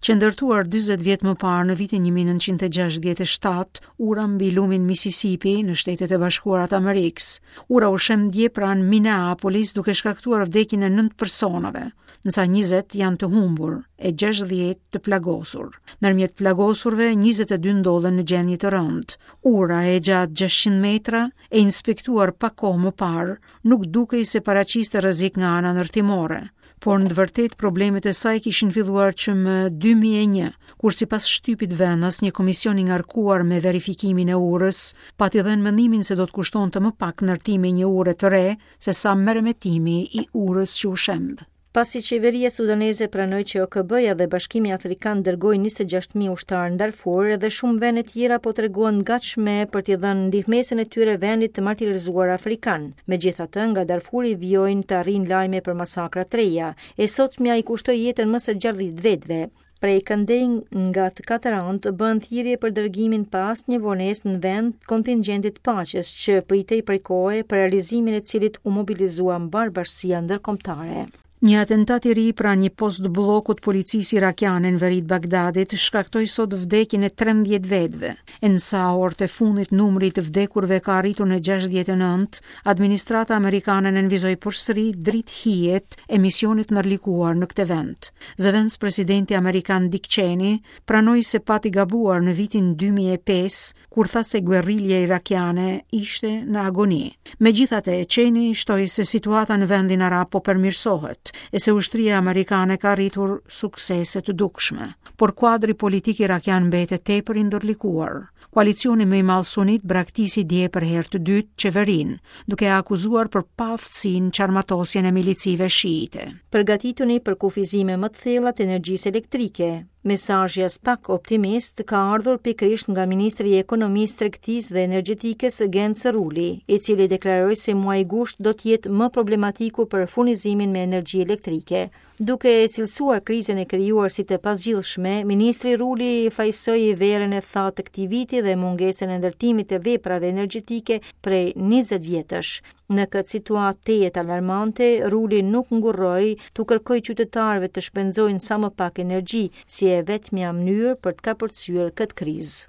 Qe ndërtuar 40 vjet më parë në vitin 1967, ura mbi lumin Mississippi në Shtetet e Bashkuara të Amerikës. Ura u shemb dje pranë Minneapolis duke shkaktuar vdekjen e 9 personave, ndërsa 20 janë të humbur e 60 të plagosur. Ndërmjet plagosurve, 22 ndodhen në gjendje të rëndë. Ura e gjatë 600 metra, e inspektuar pak kohë më parë, nuk dukej se paraqiste rrezik nga ana ndërtimore. Por në të vërtetë problemet e saj kishin filluar që më 2001, kur sipas shtypit vendas një komision i ngarkuar me verifikimin e urës pati dhënë mendimin se do të kushtonte më pak ndërtimi i një ure të re se sa meremetimi i urës që u shemb. Pasi qeveria sudaneze pranoi që OKB-ja dhe Bashkimi Afrikan dërgojnë 26.000 ushtarë në Darfur, edhe shumë vende tjera po tregohen të gatshme për t'i dhënë ndihmesën e tyre vendit të martirizuar afrikan. Megjithatë, nga Darfuri vijojnë të arrijnë lajme për masakra të reja. E sotmja i kushtoi jetën më se 60 vetëve. Prej këndej nga të katër anët bëhen thirrje për dërgimin pa asnjë vonesë në vend kontingjentit të paqes që pritej prej kohe për realizimin e cilit u mobilizua mbarë bashkësia ndërkombëtare. Një atentat i ri pranë një postbllokut të policisë irakiane në veri të Bagdadit shkaktoi sot vdekjen e 13 vetëve. E në sa orët e fundit numri i të vdekurve ka arritur në 69, administrata amerikane nënvizoi përsëri dritëhijet e misionit të ndërlikuar në këtë vend. Zëvendëspresidenti amerikan Dick Cheney pranoi se pati gabuar në vitin 2005 kur tha se guerrilja irakiane ishte në agoni. Megjithatë, Cheney shtoi se situata në vendin arab po përmirësohet e se ushtria amerikane ka arritur suksese të dukshme. Por kuadri politik irakian mbetet tepër i ndërlikuar. Koalicioni më i madh sunit braktisi dje për herë të dytë qeverinë, duke e akuzuar për paaftësi në çarmatosjen e milicive shiite. Përgatituni për kufizime më të thella të energjisë elektrike. Mesazhi aspak optimist ka ardhur pikërisht nga ministri i Ekonomisë, Tregtisë dhe Energjetikës Genc Ruli, i cili deklaroi se muaji gusht do të jetë më problematiku për furnizimin me energji elektrike. Duke e cilësuar krizën e krijuar si të pazgjidhshme, ministri Ruli fajësoi verën e thatë të këtij viti dhe mungesën e ndërtimit të veprave energjetike prej 20 vjetësh. Në këtë situatë tejet alarmante, Ruli nuk ngurroi t'u kërkojë qytetarëve të shpenzojnë sa më pak energji, si e vetmja mënyrë për të kapërcyer këtë krizë.